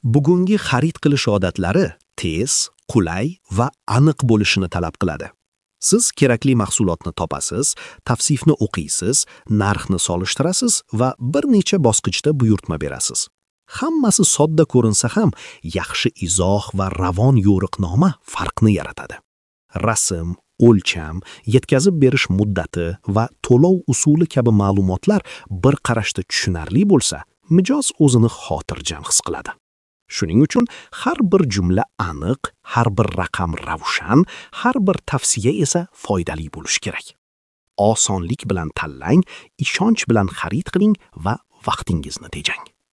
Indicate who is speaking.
Speaker 1: Bugungi xarid qilish odatlari tez, qulay va aniq bo'lishini talab qiladi. Siz kerakli mahsulotni topasiz, tavsifni o'qiysiz, narxni solishtirasiz va bir necha bosqichda buyurtma berasiz. Hammasi sodda ko'rinsa ham, yaxshi izoh va ravon yo'riqnoma farqni yaratadi. Rasm, o'lcham, yetkazib berish muddati va to'lov usuli kabi ma'lumotlar bir qarashda tushunarli bo'lsa, mijoz o'zini xotirjam his qiladi. Shuning uchun har bir jumla aniq, har bir raqam ravshan, har bir tavsiya esa foydali bo'lishi kerak. Osonlik bilan tanlang, ishonch bilan xarid qiling va vaqtingizni tejang.